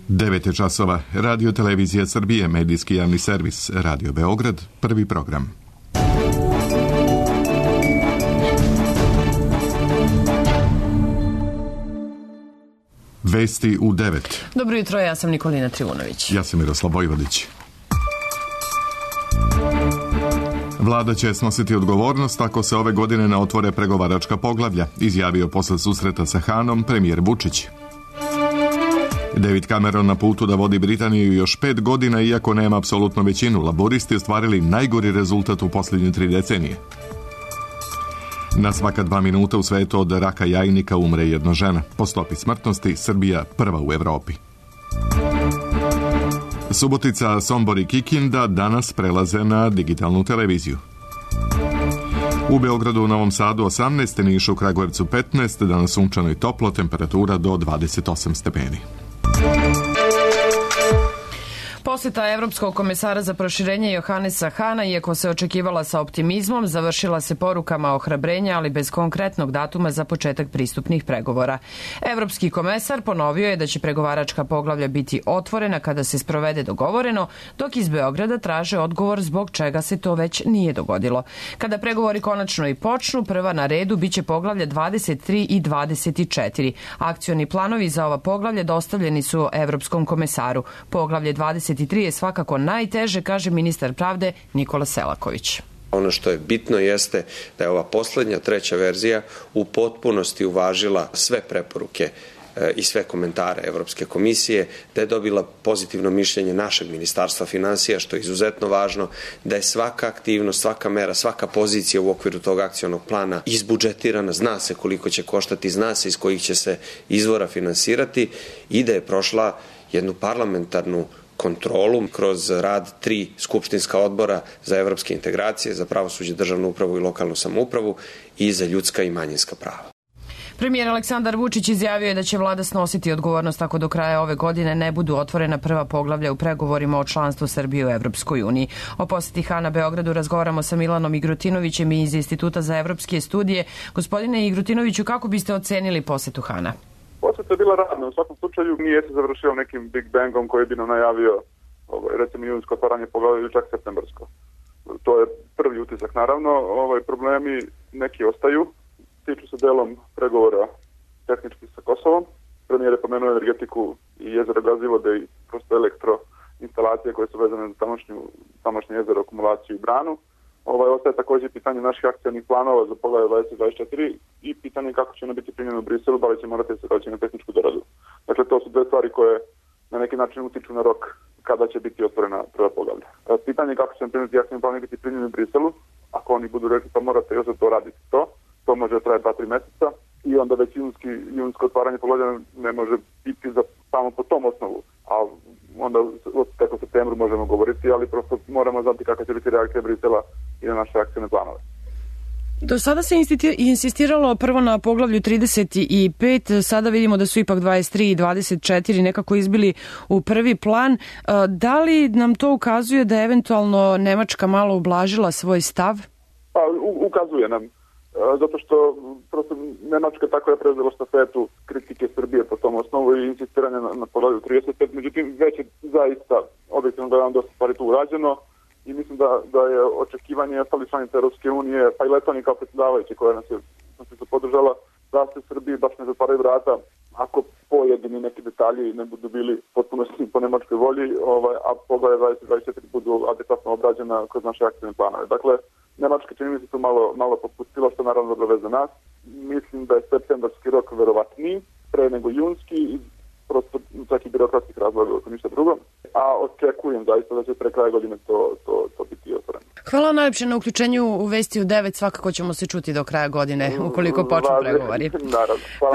9 časova. Radio Televizija Srbije, medijski javni servis, Radio Beograd, prvi program. Vesti u 9. Dobro jutro, ja sam Nikolina Trivunović. Ja sam Miroslav Vojvodić. Vlada će snositi odgovornost ako se ove godine ne otvore pregovaračka poglavlja, izjavio posle susreta sa Hanom premijer Vučić. David Cameron na putu da vodi Britaniju još 5 godina, iako nema apsolutnu većinu. Laboristi ostvarili najgori rezultat u posljednje 3 decenije. Na svaka 2 minuta u svetu od raka jajnika umre jedna žena. Po stopi smrtnosti Srbija prva u Evropi. Subotica, Sombor i Kikinda danas prelaze na digitalnu televiziju. U Beogradu, u Novom Sadu 18, Nišu, Kragujevcu 15, danas sunčano i toplo, temperatura do 28 stepeni. Posjeta Evropskog komesara za proširenje Johannesa Hana, iako se očekivala sa optimizmom, završila se porukama ohrabrenja, ali bez konkretnog datuma za početak pristupnih pregovora. Evropski komesar ponovio je da će pregovaračka poglavlja biti otvorena kada se sprovede dogovoreno, dok iz Beograda traže odgovor zbog čega se to već nije dogodilo. Kada pregovori konačno i počnu, prva na redu biće poglavlja 23 i 24. Akcioni planovi za ova poglavlja dostavljeni su Evropskom komesaru. Poglavlje 23 je svakako najteže, kaže ministar pravde Nikola Selaković. Ono što je bitno jeste da je ova poslednja, treća verzija u potpunosti uvažila sve preporuke i sve komentare Evropske komisije, da je dobila pozitivno mišljenje našeg ministarstva finansija, što je izuzetno važno, da je svaka aktivnost, svaka mera, svaka pozicija u okviru tog akcionog plana izbudžetirana, zna se koliko će koštati, zna se iz kojih će se izvora finansirati i da je prošla jednu parlamentarnu kontrolu kroz rad 3 skupštinska odbora za evropske integracije, za pravosuđe, državnu upravu i lokalnu samoupravu i za ljudska i manjinska prava. Premijer Aleksandar Vučić izjavio je da će vlada snositi odgovornost ako do kraja ove godine ne budu otvorena prva poglavlja u pregovorima o članstvu Srbije u Evropskoj uniji. O posjeti Hana Beogradu razgovaramo sa Milanom Igrutinovićem iz Instituta za evropske studije. Gospodine Igrutinoviću, kako biste ocenili posjetu Hana? Posjeta je bila radna, u svakom slučaju nije se završio nekim Big Bangom koji bi nam najavio recimo junsko otvaranje poglavlja ili čak septembarsko. To je prvi utisak naravno, problemi neki ostaju, tiču se delom pregovora tehnički sa Kosovom. Premijer je pomenuo energetiku i jezero Gazivode i prosto elektroinstalacije koje su vezane za tamošnje jezero, akumulaciju i branu. Ostaje također pitanje naših akcionih planova za poglavlje 2024 i pitanje kako će ono biti primljeno u Briselu, da li će morati se doći na tehničku doradu. Dakle, to su 2 stvari koje na neki način utiču na rok kada će biti otvorena prva poglavlja. Pitanje kako će primiti akcijni planovi biti primljeni u Briselu, ako oni budu rekli pa morate još za to raditi to može trajati 2-3 meseca i onda već junsko otvaranje poglavlja ne može biti samo po tom osnovu, a onda tek u septembru možemo govoriti, ali prosto moramo znati kakva će biti reakcija Brisela i na naše akcijne planove. Do sada se insistiralo prvo na poglavlju 35, sada vidimo da su ipak 23 i 24 nekako izbili u prvi plan. Da li nam to ukazuje da je eventualno Nemačka malo ublažila svoj stav? Pa, ukazuje nam. Zato što prosto Nemačka tako je preuzela štafetu kritike Srbije po tom osnovu i insistiranje na poglavlju 35. Međutim, već je zaista objektivno gledano dosta stvari tu urađeno i mislim da je očekivanje ostali članice Europske unije, pa i Letonija kao predsjedavajući koja nas je podržala, da se Srbiji baš ne zatvaraju vrata ako pojedini neki detalji ne budu bili potpuno po nemačkoj volji, a poglavlje 2024 budu adekvatno obrađena kroz naše akcijne planove. Dakle, Nemačka čini mi se tu malo popustila, što naravno dobro veze nas. Mislim da je septembarski rok verovatniji, pre nego junski, i prosto čak i birokratskih razloga, ako ništa drugo. A očekujem zaista da će pre kraja godine to biti otvoreno. Hvala najlepše na uključenju u Vesti u 9. Svakako ćemo se čuti do kraja godine, ukoliko počnu pregovori.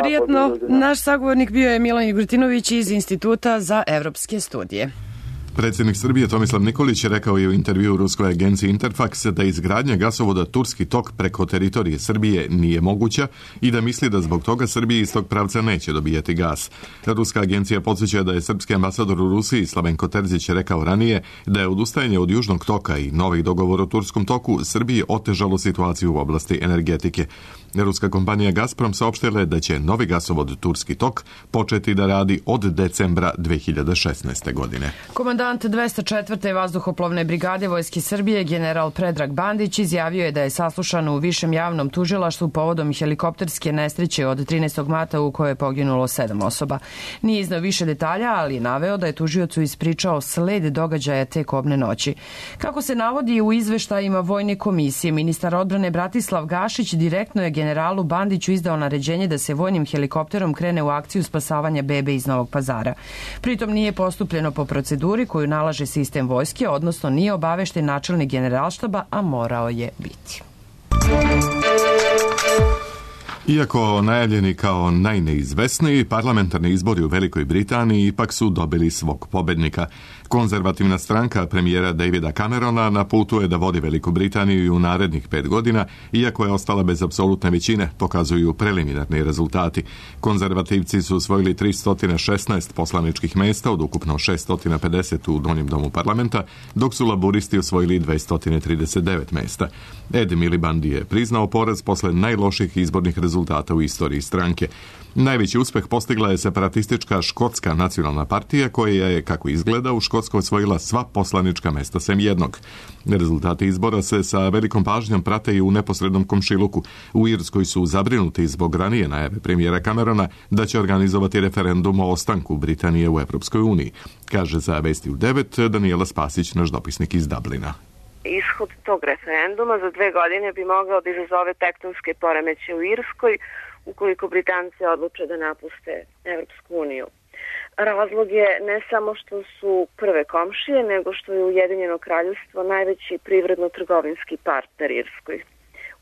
Prijatno, naš sagovornik bio je Milan Igrutinović iz Instituta za evropske studije. Predsjednik Srbije Tomislav Nikolić je rekao je u intervjuu ruskoj agenciji Interfax da izgradnja gasovoda Turski tok preko teritorije Srbije nije moguća i da misli da zbog toga Srbiji iz tog pravca neće dobijati gas. Ruska agencija podsjeća da je srpski ambasador u Rusiji Slavenko Terzić rekao ranije da je odustajanje od Južnog toka i novih dogovora o Turskom toku Srbiji otežalo situaciju u oblasti energetike. Ruska kompanija Gazprom saopštila je da će novi gasovod Turski tok početi da radi od decembra 2016. godine. Komandant 204. vazduhoplovne brigade Vojske Srbije general Predrag Bandić izjavio je da je saslušan u Višem javnom tužilaštvu povodom helikopterske nesreće od 13. marta u kojoj je poginulo 7 osoba. Nije iznao više detalja, ali je naveo da je tužiocu ispričao sled događaja te kobne noći. Kako se navodi u izveštajima Vojne komisije, ministar odbrane Bratislav Gašić direktno je generalu Bandiću izdao naređenje da se vojnim helikopterom krene u akciju spasavanja bebe iz Novog Pazara. Pritom nije postupljeno po proceduri koju nalaže sistem vojske, odnosno nije obavešten načelnik generalštaba, a morao je biti. Iako najavljeni kao najneizvesniji, parlamentarni izbori u Velikoj Britaniji ipak su dobili svog pobednika. Konzervativna stranka premijera Davida Camerona na putu je da vodi Veliku Britaniju i u narednih 5 godina, iako je ostala bez apsolutne većine, pokazuju preliminarni rezultati. Konzervativci su osvojili 316 poslaničkih mesta od ukupno 650 u Donjem domu parlamenta, dok su laburisti osvojili 239 mesta. Ed Miliband je priznao poraz posle najloših izbornih rezultata u istoriji stranke. Najveći uspeh postigla je separatistička Škotska nacionalna partija koja je, kako izgleda, u Škotskoj osvojila sva poslanička mesta sem jednog. Rezultati izbora se sa velikom pažnjom prate i u neposrednom komšiluku. U Irskoj su zabrinuti zbog ranije najave premijera Camerona da će organizovati referendum o ostanku Britanije u Evropskoj uniji, kaže za Vesti u 9 Danijela Spasić, naš dopisnik iz Dublina. Ishod tog referenduma za 2 godine bi mogao da izazove tektonske poremećaje u Irskoj ukoliko Britanci odluče da napuste Evropsku uniju. Razlog je ne samo što su prve komšije, nego što je Ujedinjeno kraljevstvo najveći privredno-trgovinski partner Irskoj,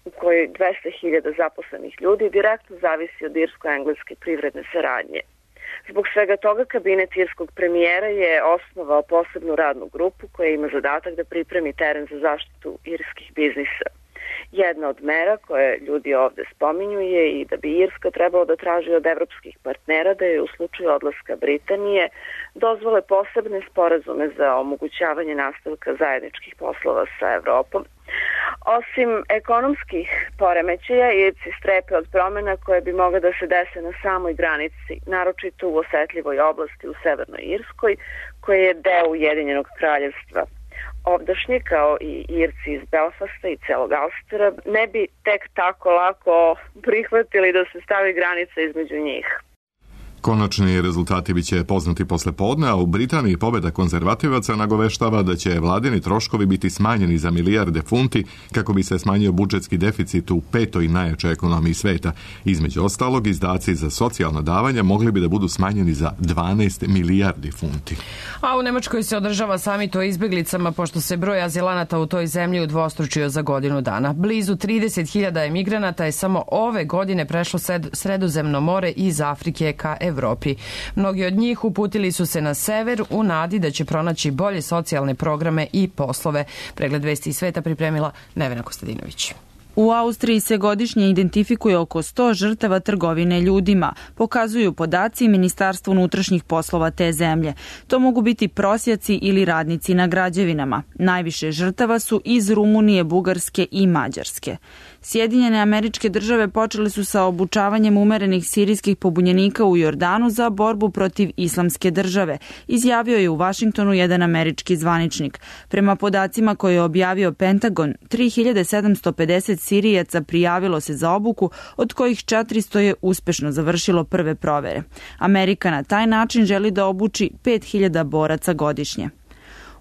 u kojoj 200.000 zaposlenih ljudi direktno zavisi od irsko-engleske privredne saradnje. Zbog svega toga, kabinet irskog premijera je osnovao posebnu radnu grupu koja ima zadatak da pripremi teren za zaštitu irskih biznisa. Jedna od mera koje ljudi ovde spominju je i da bi Irska trebalo da traži od evropskih partnera da je u slučaju odlaska Britanije dozvole posebne sporazume za omogućavanje nastavka zajedničkih poslova sa Evropom. Osim ekonomskih poremećaja, Irci strepe od promena koje bi mogle da se dese na samoj granici, naročito u osetljivoj oblasti u Severnoj Irskoj, koja je deo Ujedinjenog kraljevstva. Ovdašnji, kao i Irci iz Belfasta i celog Ulstera, ne bi tek tako lako prihvatili da se stavi granica između njih. Konačni rezultati biće poznati posle podne, a u Britaniji pobeda konzervativaca nagoveštava da će vladini troškovi biti smanjeni za milijarde funti kako bi se smanjio budžetski deficit u 5. najjačoj ekonomiji sveta. Između ostalog, izdaci za socijalna davanja mogli bi da budu smanjeni za 12 milijardi funti. A u Nemačkoj se održava samit o izbeglicama pošto se broj azilanata u toj zemlji udvostručio za godinu dana. Blizu 30.000 emigranata je samo ove godine prešlo Sredozemno more iz Afrike ka Evropi. Mnogi od njih uputili su se na sever u nadi da će pronaći bolje socijalne programe i poslove. Pregled Vesti iz sveta pripremila Nevena Kostadinović. U Austriji se godišnje identifikuje oko 100 žrtava trgovine ljudima, pokazuju podaci Ministarstva unutrašnjih poslova te zemlje. To mogu biti prosjaci ili radnici na građevinama. Najviše žrtava su iz Rumunije, Bugarske i Mađarske. Sjedinjene Američke Države počele su sa obučavanjem umerenih sirijskih pobunjenika u Jordanu za borbu protiv Islamske države, izjavio je u Vašingtonu jedan američki zvaničnik. Prema podacima koje je objavio Pentagon, 3750 Sirijaca prijavilo se za obuku, od kojih 400 je uspešno završilo prve provere. Amerika na taj način želi da obuči 5000 boraca godišnje.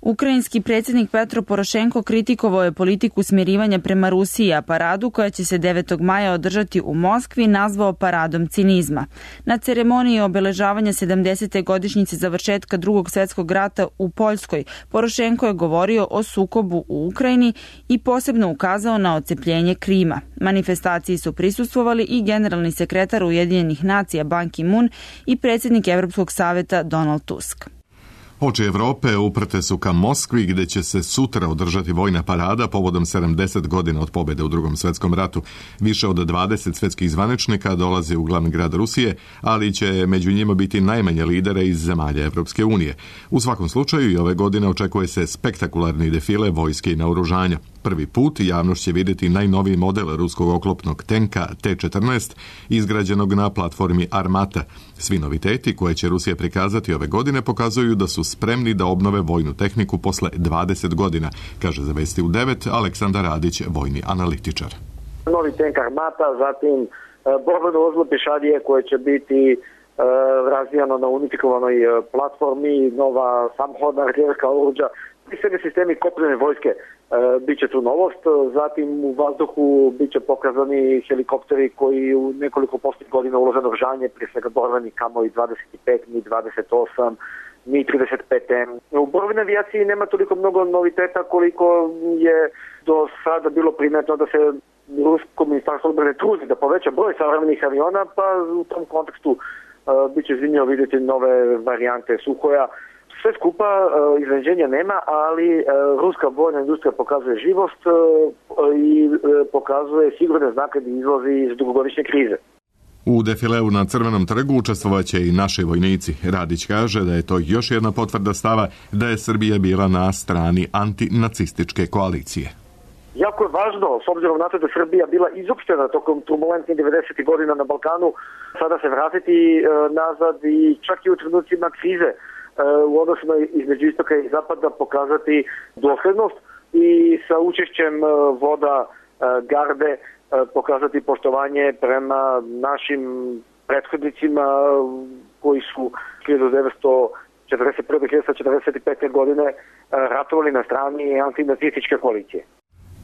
Ukrajinski predsjednik Petro Porošenko kritikovao je politiku smirivanja prema Rusiji, a paradu koja će se 9. maja održati u Moskvi nazvao paradom cinizma. Na ceremoniji obeležavanja 70. godišnjice završetka Drugog svjetskog rata u Poljskoj, Porošenko je govorio o sukobu u Ukrajini i posebno ukazao na ocepljenje Krima. Manifestaciji su prisustvovali i generalni sekretar Ujedinjenih nacija Ban Ki-moon i predsjednik Evropskog saveta Donald Tusk. Oči Evrope uprte su ka Moskvi gdje će se sutra održati vojna parada povodom 70 godina od pobjede u Drugom svjetskom ratu. Više od 20 svjetskih zvaničnika dolaze u glavni grad Rusije, ali će među njima biti najmanje lidera iz zemalja Evropske unije. U svakom slučaju i ove godine očekuje se spektakularni defile vojske i naoružanja. Prvi put javnost će vidjeti najnoviji model ruskog oklopnog tenka T-14 izgrađenog na platformi Armata. Svi noviteti koje će Rusija prikazati ove godine pokazuju da su spremni da obnove vojnu tehniku posle 20 godina, kaže za Vesti u 9 Aleksandar Radić, vojni analitičar. Novi tenk Armata, zatim borbeno vozilo pješadije koje će biti razvijano na unifikovanoj platformi, nova samhodna artiljerska oruđa, sve sistemi kopnene vojske bit će tu novost. Zatim u vazduhu bit će pokazani helikopteri koji u nekoliko posljednjih godina ulaze naoružanje, prije svega borbeni Kamoi 25, Mi-28, Mi-35M. U borbenoj avijaciji nema toliko mnogo noviteta koliko je do sada bilo primetno da se Rusko ministarstvo odbrane trudi da poveća broj savremenih aviona, pa u tom kontekstu bit će zanimljivo vidjeti nove varijante Suhoja. Sve skupa iznenađenja nema, ali ruska vojna industrija pokazuje živost i pokazuje sigurne znake da izlazi iz dugogodišnje krize. U defileu na Crvenom trgu učestvovaće i naši vojnici. Radić kaže da je to još jedna potvrda stava da je Srbija bila na strani antinacističke koalicije. Jako je važno, s obzirom na to da je Srbija bila izopštena tokom turbulentnih 90. godina na Balkanu, sada se vratiti nazad i čak i u trenucima krize u odnosu između istoka i zapada pokazati dosljednost i sa učešćem voda garde pokazati poštovanje prema našim prethodnicima koji su 1941-1945. godine ratovali na strani antinacističke koalicije.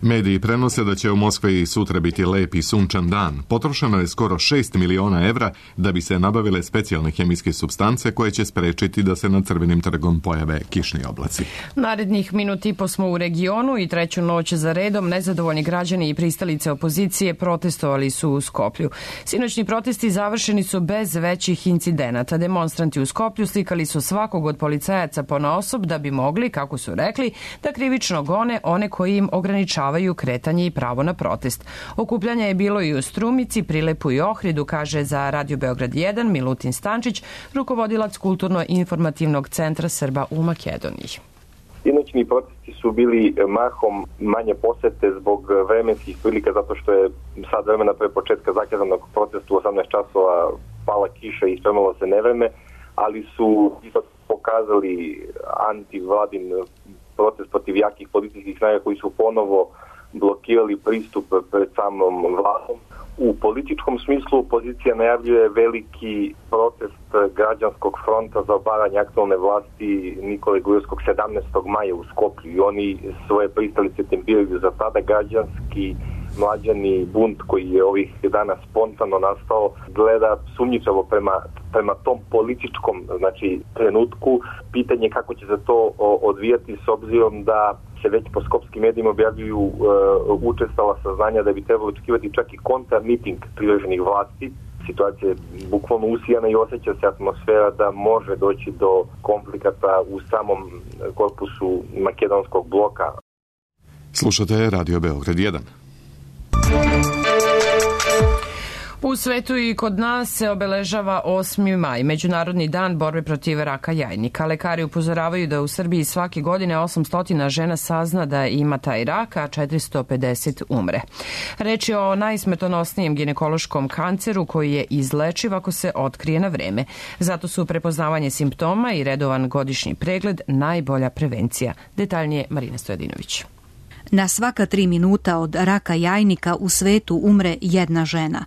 Mediji prenose da će u Moskvi sutra biti lep i sunčan dan. Potrošeno je skoro 6 miliona evra da bi se nabavile specijalne hemijske supstance koje će sprečiti da se nad Crvenim trgom pojave kišni oblaci. Narednih minut i po smo u regionu i treću noć za redom nezadovoljni građani i pristalice opozicije protestovali su u Skoplju. Sinoćni protesti završeni su bez većih incidenata. Demonstranti u Skoplju slikali su svakog od policajaca ponaosob da bi mogli, kako su rekli, da krivično gone one koji im ograničavaju kretanje i pravo na protest. Okupljanje je bilo i u Strumici, Prilepu i Ohridu, kaže za Radio Beograd 1 Milutin Stančić, rukovodilac kulturno-informativnog centra Srba u Makedoniji. Sinoćni protesti su bili mahom manje posete zbog vremenskih prilika, zato što je sad vremena pre početka zakazanog protestu u 18 časova pala kiša i spremalo se nevreme, ali su ipak pokazali antivladin protest protiv jakih policijskih snaga koji su ponovo blokirali pristup pred samom vladom. U političkom smislu opozicija najavljuje veliki protest građanskog fronta za obaranje aktualne vlasti Nikole Gruevskog 17. maja u Skoplju i oni svoje pristalice tempiraju za tada. Građanski mlađani bunt koji je ovih dana spontano nastao gleda sumnjičavo prema tom političkom trenutku. Pitanje kako će se to odvijati s obzirom da se već po skopskim medijima objavljuju učestala saznanja da bi trebalo očekivati čak i kontramiting privreženih vlasti. Situacija je bukvalno usijana i osjeća se atmosfera da može doći do konflikata u samom korpusu makedonskog bloka. Slušate Radio Beograd 1. U svetu i kod nas se obeležava 8. maj, Međunarodni dan borbe protiv raka jajnika. Lekari upozoravaju da u Srbiji svake godine 800 žena sazna da ima taj rak, a 450 umre. Reč je o najsmrtonosnijem ginekološkom kanceru koji je izlečiv ako se otkrije na vreme. Zato su prepoznavanje simptoma i redovan godišnji pregled najbolja prevencija. Detaljnije Marina Stojadinović. Na svaka 3 minuta od raka jajnika u svetu umre jedna žena.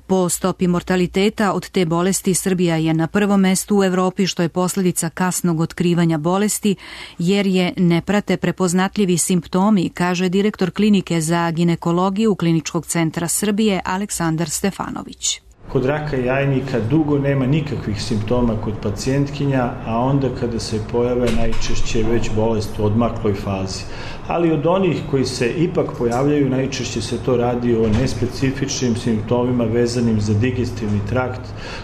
Po stopi mortaliteta od te bolesti Srbija je na prvom mestu u Evropi, što je posljedica kasnog otkrivanja bolesti, jer je ne prate prepoznatljivi simptomi, kaže direktor klinike za ginekologiju Kliničkog centra Srbije Aleksandar Stefanović. Kod raka jajnika dugo nema nikakvih simptoma kod pacijentkinja, a onda kada se pojave najčešće već bolest u odmakloj fazi. Ali od onih koji se ipak pojavljaju, najčešće se to radi o nespecifičnim simptomima vezanim za digestivni trakt.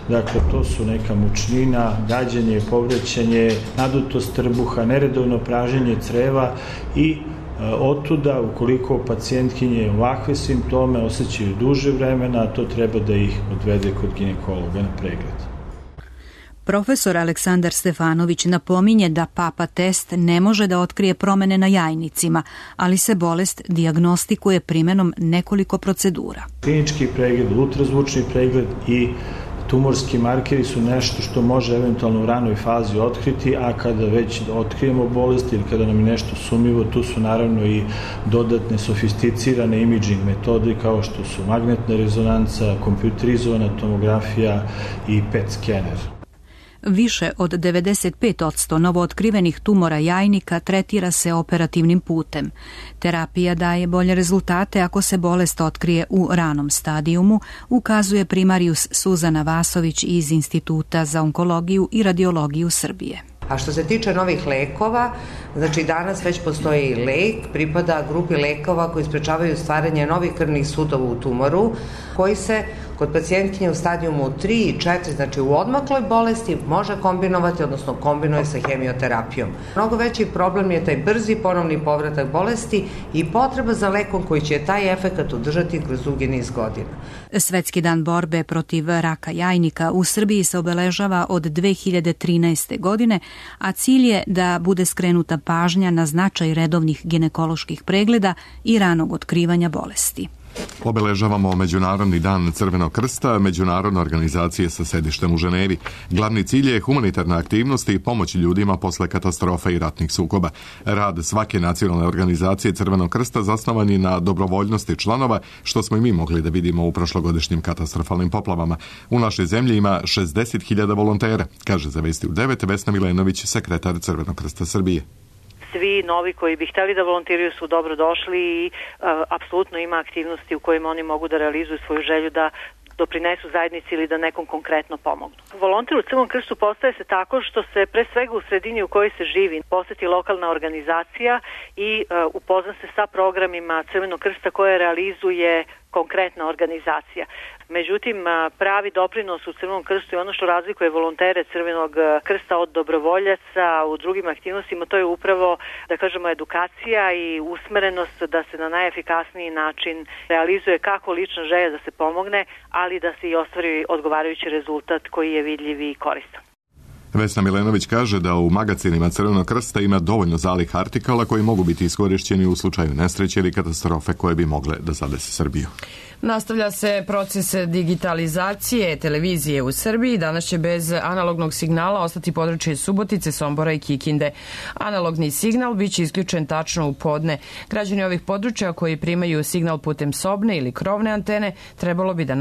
Dakle, to su neka mučnina, gađanje, povraćanje, nadutost trbuha, neredovno praženje creva i otuda, ukoliko pacijentkinje ovakve simptome osjećaju duže vremena, to treba da ih odvede kod ginekologa na pregled. Profesor Aleksandar Stefanović napominje da PAPA test ne može da otkrije promene na jajnicima, ali se bolest dijagnostikuje primenom nekoliko procedura. Klinički pregled, ultrazvučni pregled i tumorski markeri su nešto što može eventualno u ranoj fazi otkriti, a kada već otkrijemo bolest ili kada nam je nešto sumnjivo, tu su naravno i dodatne sofisticirane imaging metode kao što su magnetna rezonanca, kompjuterizovana tomografija i PET skener. Više od 95% novootkrivenih tumora jajnika tretira se operativnim putem. Terapija daje bolje rezultate ako se bolest otkrije u ranom stadijumu, ukazuje primarijus Suzana Vasović iz Instituta za onkologiju i radiologiju Srbije. A što se tiče novih lekova, znači danas već postoji lek, pripada grupi lekova koji sprečavaju stvaranje novih krvnih sudova u tumoru, koji se kod pacijentkinje u stadijumu 3 i 4, znači u odmakloj bolesti, može kombinovati, odnosno kombinuje sa hemioterapijom. Mnogo veći problem je taj brzi ponovni povratak bolesti i potreba za lekom koji će taj efekat udržati kroz dugi niz godina. Svetski dan borbe protiv raka jajnika u Srbiji se obeležava od 2013. godine, a cilj je da bude skrenuta pažnja na značaj redovnih ginekoloških pregleda i ranog otkrivanja bolesti. Obeležavamo Međunarodni dan Crvenog krsta, međunarodne organizacije sa sedištem u Ženevi. Glavni cilj je humanitarna aktivnost i pomoć ljudima posle katastrofa i ratnih sukoba. Rad svake nacionalne organizacije Crvenog krsta zasnovan je na dobrovoljnosti članova, što smo i mi mogli da vidimo u prošlogodišnjim katastrofalnim poplavama. U našoj zemlji ima 60.000 volontera, kaže za Vesti u 9 Vesna Milenović, sekretar Crvenog krsta Srbije. Svi novi koji bi hteli da volontiraju su dobro došli i apsolutno ima aktivnosti u kojima oni mogu da realizuju svoju želju da doprinesu zajednici ili da nekom konkretno pomognu. Volonter u Crvenom krstu postaje se tako što se pre svega u sredini u kojoj se živi poseti lokalna organizacija i upozna se sa programima Crvenog krsta koje realizuje konkretna organizacija. Međutim, pravi doprinos u Crvenom krstu je ono što razlikuje volontere Crvenog krsta od dobrovoljaca u drugim aktivnostima, to je upravo, da kažemo, edukacija i usmerenost da se na najefikasniji način realizuje kako lična želja da se pomogne, ali da se i ostvari odgovarajući rezultat koji je vidljiv i koristan. Vesna Milenović kaže da u magacinima Crvenog krsta ima dovoljno zalih artikala koji mogu biti iskorišćeni u slučaju nesreće ili katastrofe koje bi mogle da zadese Srbiju. Nastavlja se proces digitalizacije televizije u Srbiji. Danas će bez analognog signala ostati područje Subotice, Sombora i Kikinde. Analogni signal biće isključen tačno u podne. Građani ovih područja koji primaju signal putem sobne ili krovne antene trebalo bi da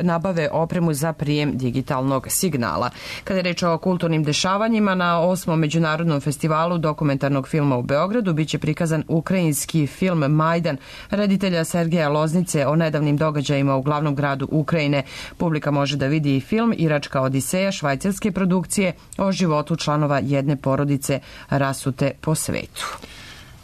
nabave opremu za prijem digitalnog signala. Kada je reč o kulturnim dešavanjima, na 8. Međunarodnom festivalu dokumentarnog filma u Beogradu biće prikazan ukrajinski film Majdan reditelja Sergeja Loznice o nedavnim događajima u glavnom gradu Ukrajine. Publika može da vidi i film Iračka odiseja švajcarske produkcije o životu članova jedne porodice rasute po svetu.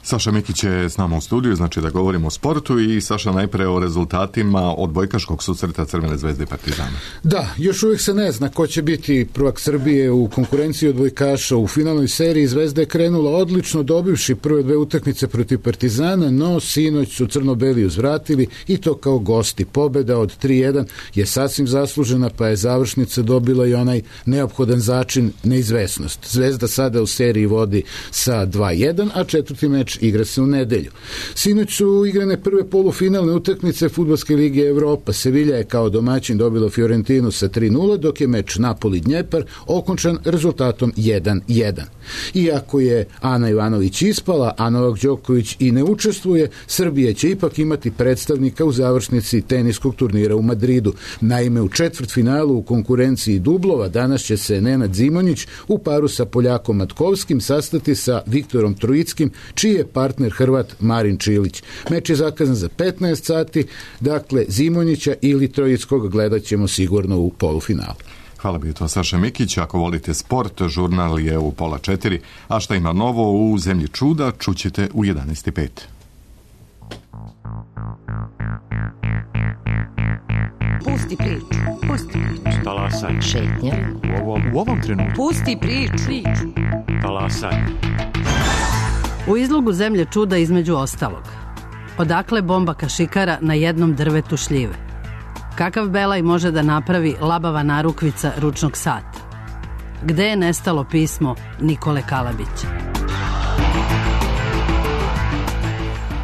Saša Mikić je s nama u studiju, znači da govorimo o sportu i Saša najpre o rezultatima odbojkaškog susreta Crvene zvezde i Partizana. Da, još uvijek se ne zna ko će biti prvak Srbije u konkurenciji odbojkaša. U finalnoj seriji Zvezda je krenula odlično, dobivši prve dve utakmice protiv Partizana, no sinoć su crno-beli uzvratili i to kao gosti. Pobeda od 3-1 je sasvim zaslužena, pa je završnica dobila i onaj neophodan začin neizvesnost. Zvezda sada u seriji vodi sa 2-1, a četvrti meč igra se u nedelju. Sinoć su igrane prve polufinalne utakmice Fudbalske lige Evropa. Sevilla je kao domaćin dobila Fiorentinu sa 3-0, dok je meč Napoli-Dnjepar okončan rezultatom 1-1. Iako je Ana Ivanović ispala, a Novak Đoković i ne učestvuje, Srbija će ipak imati predstavnika u završnici teniskog turnira u Madridu. Naime, u četvrtfinalu u konkurenciji dublova danas će se Nenad Zimonjić u paru sa Poljakom Matkovskim sastati sa Viktorom Trojickim, čiji je partner Hrvat Marin Čilić. Meč je zakazan za 15 sati, dakle Zimonjića ili Trojickog gledat ćemo sigurno u polufinalu. Hvala bi to Saša Mikić. Ako volite sport, žurnal je u 3:30, a šta ima novo u Zemlji čuda čućete u 11:05. Pusti priču. Talasaj. Šetnja. U ovom trenutku. Pusti priču. Talasaj. U izlogu Zemlje čuda između ostalog. Odakle bomba kašikara na jednom drvetu šljive? Kakav belaj može da napravi labava narukvica ručnog sata? Gde je nestalo pismo Nikole Kalabića?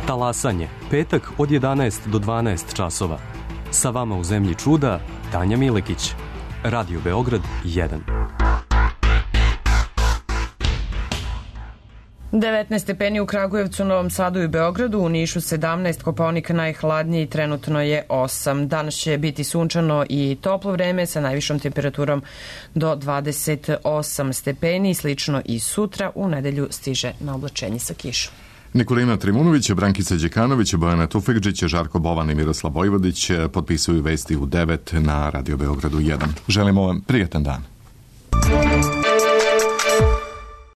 Talasanje, petak od 11 do 12 časova. Sa vama u Zemlji čuda, Tanja Milekić. Radio Beograd 1. 19 stepeni u Kragujevcu, Novom Sadu i Beogradu, u Nišu 17, Kopaonik najhladniji, trenutno je 8. Danas će biti sunčano i toplo vreme sa najvišom temperaturom do 28 stepeni, slično i sutra, u nedelju stiže na oblačenje sa kišom. Nikolina Trimunović, Brankica Đekanović, Bojana Tufekđić, Žarko Bovan i Miroslav Vojvodić potpisuju vesti u 9 na Radio Beogradu 1. Želimo vam prijatan dan.